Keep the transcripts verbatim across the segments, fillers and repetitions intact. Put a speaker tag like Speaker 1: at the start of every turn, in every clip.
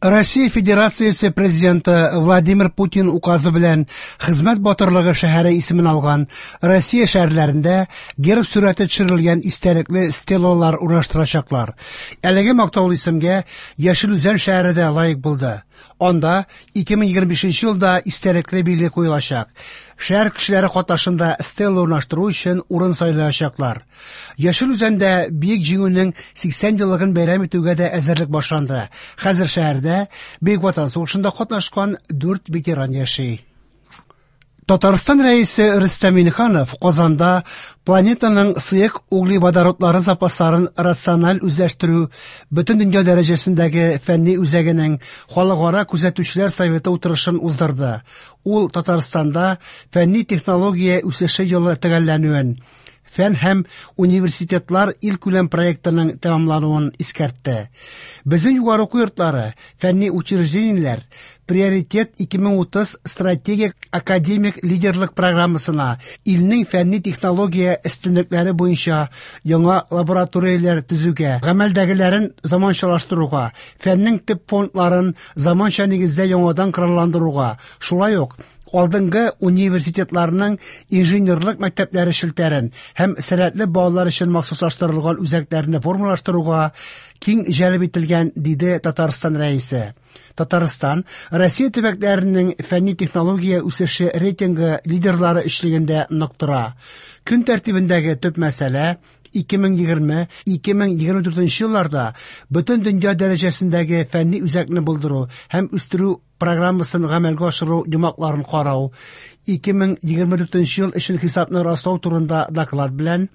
Speaker 1: Россия Федерациясе президенты Владимир Путин указы белән Хезмәт батырлыгы шәһәре исемен алган Россия шәһәрләрендә герб сурәте төшерелгән истәлекле стелалар урнаштырачаклар. Әлеге мактаулы исемгә Яшел Үзән шәһәре дә лаек булды. Анда ике мең егерме бишенче елда истәлекле билге куелачак. Шәһәр кешеләре катнашында стела урнаштыру өчен урын сайлаячаклар. Яшел Үзәндә Бөек Җиңүнең сиксән еллыгын бәйрәм итүгә дә әзерлек башланды. Хәзер шәһәрдә Бөек Ватан сугышында катнашкан дүрт ветеран яши. Татарстан рәисе Рөстәм Миңнеханов Казанда планетаның сыек углеводородлары запасларын рациональ үзләштерү бөтен дөнья дәрәҗәсендәге фәнни үзәгенең халыкара күзәтүчеләр советы утырышын уздырды. Ул Татарстанда фәнни технология үсеше елы төгәлләнүен, фән һәм университетлар илкүләм проектының тәмамлануын искәртте. Безнең югары уку йортлары, фәнни учреждениеләр Приоритет ике мең утыз стратегик академик лидерлык программасына илнең фәнни технология өстенлекләре буенча яңа лабораторияләр төзүгә, гамәлдәгеләрен заманчалаштыруга, фәннең төп фондларын заманча нигездә яңадан коралландыруга, шулай ук алдынгы университетларның инженерлык мәктәпләре челтәрен һәм сәләтле балалар өчен махсуслаштырылган үзәкләрне формалаштыруга киң җәлеп ителгән, диде Татарстан рәисе. Татарстан Россия төбәкләренең фәнни технология үсеше рейтингы лидерлары өчлегендә нык тора. Көн тәртибендәге төп мәсьәлә ике мең егерме, ике мең егерме дүртенче елларда бөтен дөнья дәрәҗәсендәге фәнни үзәкне булдыру һәм үстерү программасын гамәлгә ашыру йомгакларын карау, ике мең егерме дүртенче ел өчен хисапны раслау турында доклад белән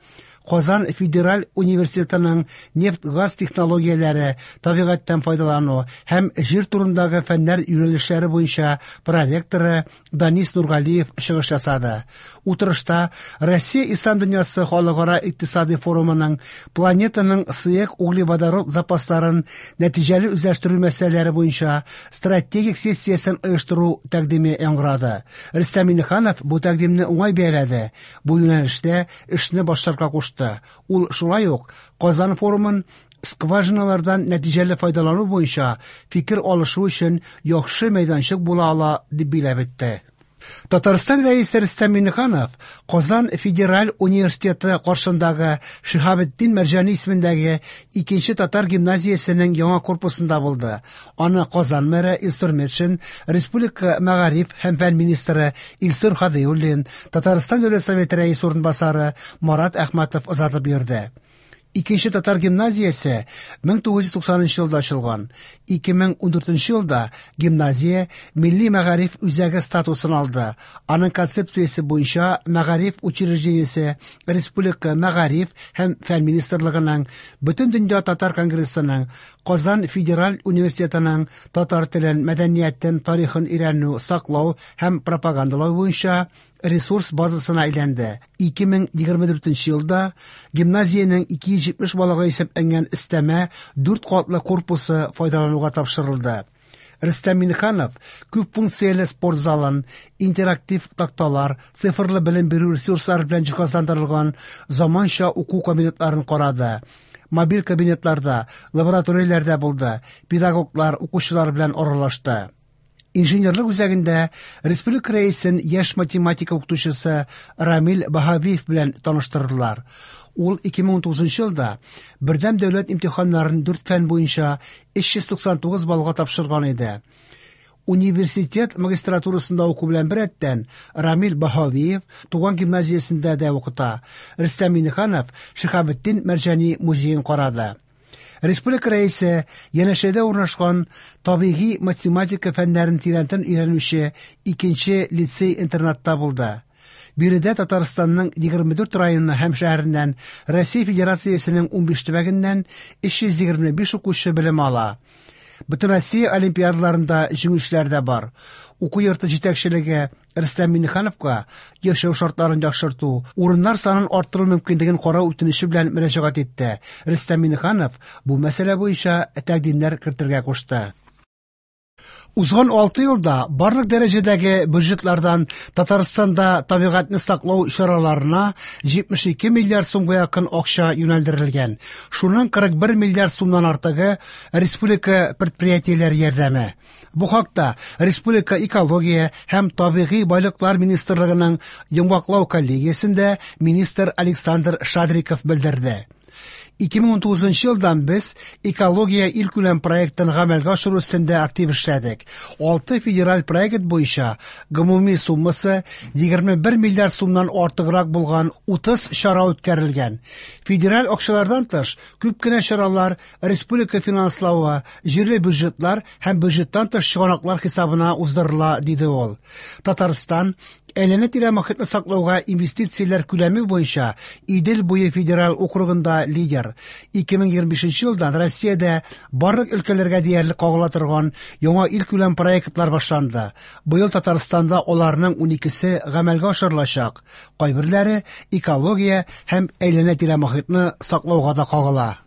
Speaker 1: Казан федераль университетының нефть-газ технологияләре, табигатьтән файдалану һәм җир турындагы фәннәр юнәлешләре буенча проректоры Данис Нургалиев чыгыш ясады. Утырышта Россия Ислам дөньясы халыкара икътисади форумының планетаның сыек углеводород запасларын нәтиҗәле үзләштерү мәсьәләләре буенча стратегик сессиясен оештыру тәкъдиме яңгырады. Рөстәм Миңнеханов бу тәкъдимне уңай бәяләде. Бу юнәлештә эшне башларга кушты. Ул шулай ук Казан форумын скважиналардан нәтиҗәле файдалану буенча фикер алышу өчен яхшы мәйданчык була ала дип билгеләп үтте. Татарстан рәисе Рөстәм Миңнеханов Казан федераль университеты каршындагы Шиһабетдин Мәрҗани исемендәге икенче татар гимназиясенең яңа корпусында булды. Аны Казан мэры Илсур Метшин, Республика мәгариф һәм фән министры Илсур Һадиуллин, Татарстан Дәүләт Советы рәисе урынбасары Марат Әхмәтов озатып йөрде. Икенче татар гимназиясе мең тугыз йөз туксанынчы елда ачылган. Ике мең ундүртенче елда гимназия милли мәгариф үзәге статусын алды. Аның концепциясе буенча мәгариф учреждениесе Республика мәгариф һәм фән министрлыгының, Бөтен дөнья татар конгрессының, Казан федераль университетының татар телен, мәдәниятен, тарихын өйрәнү, саклау һәм пропагандалау буенча ресурс базасына әйләнде. Ике мең егерме дүртенче елда гимназиянең ике йөз җитмеш балага исәпләнгән өстәмә дүрт катлы корпусы файдалануга тапшырылды. Рөстәм Миңнеханов күп функцияле спорт залын, интерактив такталар, цифрлы белем бирү ресурслары белән җиһазландырылган заманча уку кабинетларын карады. Мобиль кабинетларда, лабораторияләрдә булды, педагоглар, укучылар белән аралашты. Инженерлык үзәгендә республика рәисен яшь математика укытучысы Рамил Баһавиев белән таныштырдылар. Ул ике мең унтугызынчы елда бердәм дәүләт имтиханнарын дүрт фән буенча өч йөз туксан тугыз баллга тапшырган иде. Университет магистратурасында уку белән беррәттән Рамил Баһавиев туган гимназиясендә дә укыта. Рөстәм Миңнеханов Шиһабетдин Мәрҗани музеен карады. Республика рәисе янәшәдә урнашкан табигый математика фәннәрен тирәнтен өйрәнүче икенче лицей-интернатта булды. Биредә Татарстанның егерме дүрт районы һәм шәһәреннән, Россия Федерациясенең унбиш төбәгеннән өч йөз егерме биш укучы белем ала. Бөтен Россия олимпиадаларында җиңүчеләр дә бар. Уку йорты җитәкчелеге Рөстәм Миңнехановка яшәү шартларын яхшырту, урыннар санын арттыру мөмкинлеген карау үтенече белән мөрәҗәгать итте. Рөстәм Миңнеханов бу мәсьәлә буенча тәкъдимнәр кертергә кушты. Узган алты елда барлык дәрәҗәдәге бюджетлардан Татарстанда табигатьне саклау чараларына җитмеш ике миллиард сумга якын акча юнәлдерелгән. Шуның кырык бер миллиард сумнан артыгы республика предприятиеләре ярдәме. Бу хакта Республика экология һәм табигый байлыклар министрлыгының йомгаклау коллегиясендә министр Александр Шадриков белдерде. ике мең унтугызынчы елдан без экология илкүләм проектын гамәлгә ашыру өстендә актив эшләдек. Алты федераль проект буенча гомуми суммасы егерме бер миллиард сумнан артыграк булган утыз чара үткәрелгән. Федераль акчалардан тыш күп кенә чаралар республика финанславы, җирле бюджетлар һәм бюджеттан тыш чыганаклар хисабына уздырыла, диде ул. Татарстан әйләнә-тирә мохитне саклауга инвестицияләр күләме буенча Идел буе федераль округында лидер. ике мең егерме бишенче елдан Россиядә барлык өлкәләргә диярлек кагыла торган яңа илкүләм проектлар башланды. Быел Татарстанда аларның уникесе гамәлгә ашырылачак. Кайберләре экология һәм әйләнә-тирә мохитне саклауга да кагыла.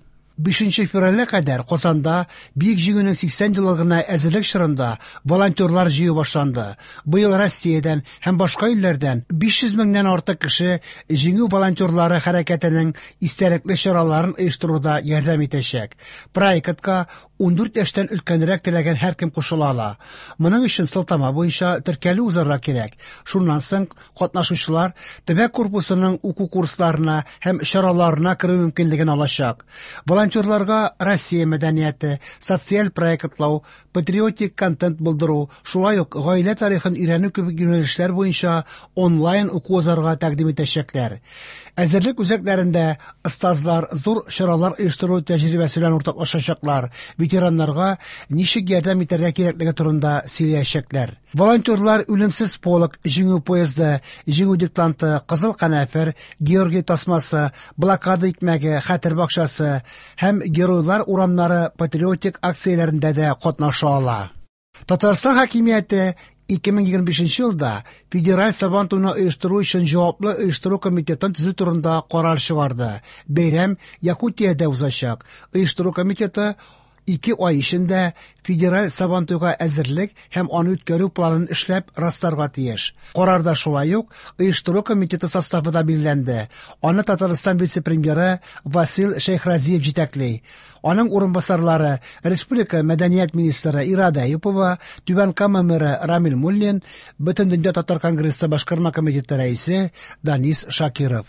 Speaker 1: Бишенче февральгә кадәр Казанда Бөек Җиңүнең сиксән еллыгына әзерлек чорында волонтерлар җыю башланды. Быел Россиядән һәм башка илләрдән биш йөз меңнән артык кеше Җиңү волонтерлары хәрәкәтенең истәлекле чараларын оештыруда ярдәм итәчәк. Проектка ундүрт яшьтән өлкәнрәк теләгән һәркем кушыла ала. Моның өчен сылтама буенча теркәлү узарга кирәк. Шуннан соң катнашучылар төбәк корпусының уку курсларына һәм чараларына керү мөмкинлеген алачак. Волонтерларга Россия мәдәнияте, социаль проектлау, патриотик контент булдыру, шулай ук гаилә тарихын өйрәнү кебек юнәлешләр буенча онлайн уку узарга тәкъдим итәчәкләр. Әзерлек үзәкләрендә остазлар зур чаралар оештыру тәҗрибәсе белән уртаклашачаклар, ветераннарга ничек ярдәм итәргә кирәклеге турында сөйләячәкләр. Волонтерлар Үлемсез полк, Җиңү поезды, Җиңү диктанты, Кызыл канәфер, Георгий тасмасы, Блокада икмәге, Хәтер бакчасы һәм Геройлар урамнары патриотик акцияләрендә дә катнаша ала. Татарстан хакимияте ике мең егерме бишенче елда Федераль Сабантуйны оештыру өчен җаваплы оештыру комитетын төзү турында карар чыгарды. Бәйрәм Якутиядә узачак. Оештыру комитеты ике ай эчендә Федераль Сабантуйга әзерлек һәм аны үткәрү планын эшләп расларга тиеш. Карарда шулай ук оештыру комитеты составы да билгеләнде. Аны Татарстан вице-премьеры Васил Шәйхразиев җитәкли. Аның урынбасарлары Республика мәдәният министры Ирада Әюпова, Түбән Кама мэры Рамил Муллин, Бөтендөнья татар конгрессы башкарма комитеты рәисе Данис Шакиров.